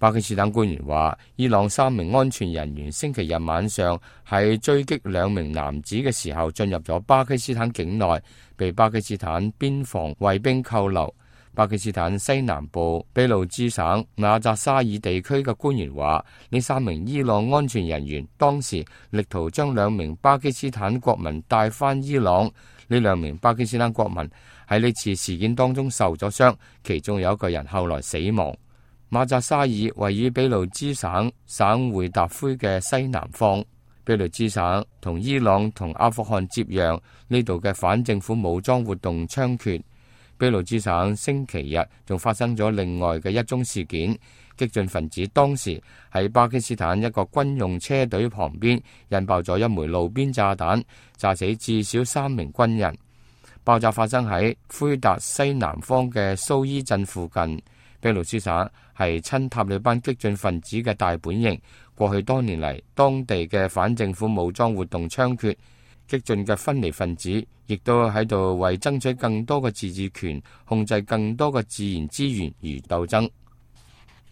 巴基斯坦官員話，伊朗3名安全人員星期日晚上喺追擊2名男子嘅時候進入咗巴基斯坦境內，被巴基斯坦邊防衛兵扣留。巴基斯坦西南部俾路支省馬扎沙爾地區嘅官員話，呢3名伊朗安全人員當時力圖將2名巴基斯坦國民帶返伊朗。呢2名巴基斯坦國民喺呢次事件當中受咗傷，其中有1個人後來死亡。馬扎沙爾位於俾路支省省會達灰嘅西南方。俾路支省同伊朗同阿富汗接壤，呢度嘅反政府武裝活動猖獗。俾路支省星期日仲發生咗另外嘅一宗事件，激進分子當時喺巴基斯坦一個軍用車隊旁邊引爆咗一枚路邊炸彈，炸死至少3名軍人。爆炸發生喺灰達西南方嘅蘇伊鎮附近。俾路支省係親塔利班激進分子嘅大本營，過去多年嚟，當地嘅反政府武裝活動猖獗。激進嘅分離分子亦都喺度為爭取更多嘅自治權、控制更多嘅自然資源而鬥爭。